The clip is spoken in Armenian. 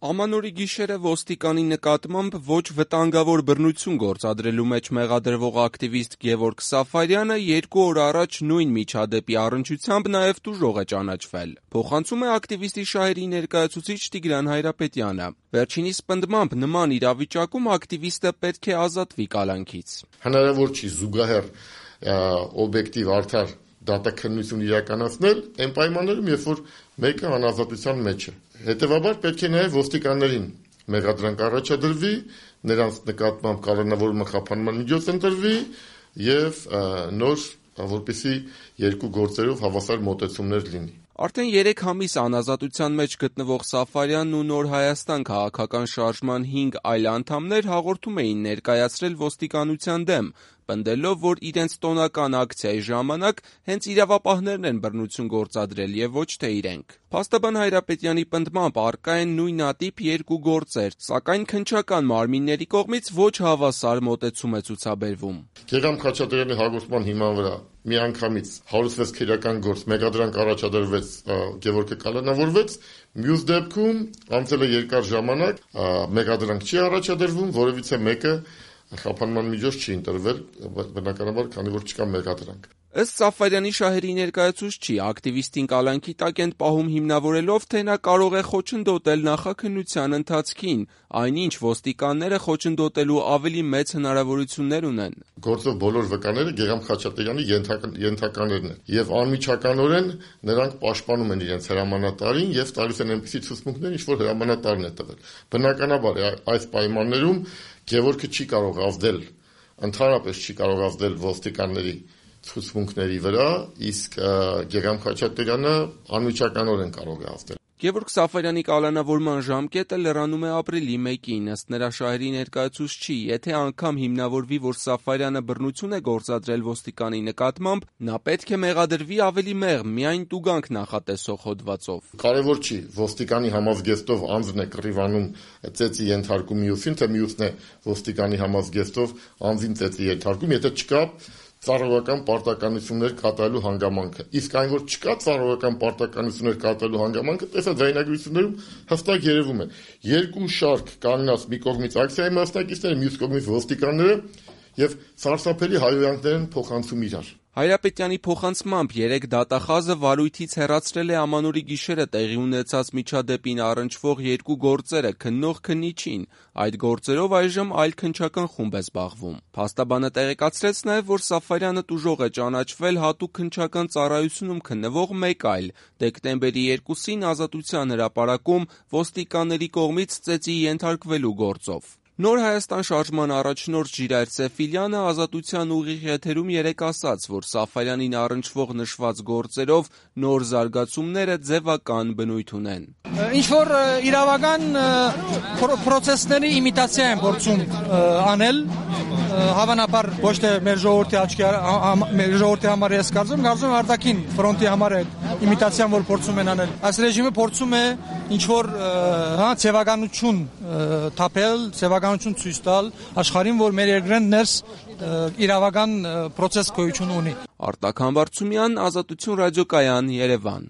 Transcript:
Ամանորի գիշերը ոստիկանի նկատմամբ ոչ վտանգավոր բռնություն գործադրելու մեջ մեղադրվող ակտիվիստ Գևորգ Սաֆարյանը 2 օր առաջ նույն միջադեպի առնչությամբ նաև տուժող է ճանաչվել։ Փոխանցում է ակտիվիստի շահերի ներկայացուցիչ Տիգրան Հայրապետյանը։ Վերջինիս պնդմամբ նման իրավիճակում ակտիվիստը պետք է ազատվի կալանքից։ Հնարավոր չի զուգահեռ օբյեկտիվ արդար դատաքննություն իրականացնել այն պայմաններում, երբ որ մեկը անազատության մեջ է։ Հետևաբար պետք է նաև ոստիկաններին մեղադրանք առաջադրվի, նրանց նկատմամբ կալանավորումը խափանման միջոց ընտրվի եւ նոր, որպեսզի 2 գործերով հավասար մոտեցումներ լինի։ Արդեն 3 ամիս անազատության մեջ գտնվող Սաֆարյանն ու Նոր Հայաստան քաղաքական շարժման 5 այլ անդամներ հաղորդում էին ներկայացրել ոստիկանության դեմ, պնդելով, որ իրենց տոնական ակցիայի ժամանակ հենց իրավապահներն են բռնություն գործադրել եւ ոչ թե իրենք։ Փաստաբան Հայրապետյանի պնդմամբ առկա են նույնատիպ 2 գործեր, սակայն քննչական մարմինների կողմից ոչ հավասար մոտեցում է ցուցաբերվում։ Գեգամ Խաչատրյանի հաղորդման հիման վրա միանգամից 106 քրեական գործ մեղադրանք առաջադրվեց, Գևորգը կալանավորվեց, մյուս դեպքում անցել է երկար ժամանակ, մեղադրանք չի առաջադրվում, որևիցե մեկը խափանման միջոց չի ընտրվել, բնականաբար, քանի որ չկա մեղադրանք։ Ըստ Սաֆարյանի շահերի ներկայացուցչի, ակտիվիստին կալանքի տակ են պահում հիմնավորելով, թե նա կարող է խոչընդոտել նախաքննության ընթացքին, այնինչ ոստիկանները խոչընդոտելու ավելի մեծ հնարավորություններ ունեն։ Գործով բոլոր վկաները Գեգամ Խաչատրյանի ենթականերն են, եւ անմիջականորեն նրանք պաշտպանում են իրենց հրամանատարին եւ տալիս են այնպիսի ցուցմունքներ, ինչ որ հրամանատարն է տվել։ Բնականաբար այս պայմաններում Գևորգը չի կարող ազդել, ընդհանրապես չի կարող ազդել ոստիկանների ցուցմունքների վրա, իսկ Գեգամ Խաչատրյանը անմիջականորեն կարող է ազդել։ Գևորգ Սաֆարյանի կալանավորման ժամկետը լրանում է ապրիլի 1-ին, ըստ նրա շահերի ներկայացուցչի, եթե անգամ հիմնավորվի, որ Սաֆարյանը բռնություն է գործադրել ոստիկանի նկատմամբ, նա պետք է մեղադրվի ավելի մեղմ, միայն տուգանք նախատեսող հոդվածով։ Կարևոր չի ոստիկանի համազգեստով անձն է կռիվանում ծեծի ենթարկում մյուսին, թե մյուսն է ոստիկանի համազգեստով անձին ծեծի ենթարկում, եթե չկա ծառայական պարտականություններ կատարելու հանգամանքը։ Իսկ այն, որ չկա ծառայական պարտականություններ կատարելու հանգամանքը, տեսած ձայնագրություններում հստակ երևում է։ 2 շարք կանգնած մի կողմից ակցիայի մասնակիցները, մյուս կողմից ոստիկանները եւ սարսափելի հայհոյանքներ են փոխանցում իրար։ Հայրապետյանի փոխանցմամբ 3 դատախազը վարույթից հեռացրել է Ամանորի գիշերը տեղի ունեցած միջադեպին առնչվող 2 գործերը քննող քննիչին։ Այդ գործերով այժմ այլ քննչական խումբ է զբաղվում։ Փաստաբանը տեղեկացրեց նաև, որ Սաֆարյանը տուժող է ճանաչվել հատուկ քննչական ծառայությունում քննվող մեկ այլ դեկտեմբերի 2-ին ազատության հրապարակում ոստիկանների կողմից ծեծի ենթարկվելու գործով։ Նոր Հայաստան շարժման առաջնորդ Ժիրայր Սեֆիլյանը ազատության ուղիղ եթերում 3 ասաց, որ Սաֆարյանին առնչվող նշված գործերով նոր զարգացումները ձևական բնույթ ունեն։ Ինչ-որ իրավական պրոցեսների իմիտացիա են փորձում անել, հավանաբար ոչ թե մեր ժողովրդի համար ես կարծում արտաքին ֆրոնտի համար է իմիտացիան, որ փորձում են անել։ Այս ռեժիմը փորձում է ինչ-որ ցեղականություն թափել, ցեղականություն ցույց տալ աշխարհին, որ մեր երկրեն ներս իրավական պրոցես գոյություն ունի։ Արտակ Համբարձումյան, Ազատություն ռադիոկայան, Երևան։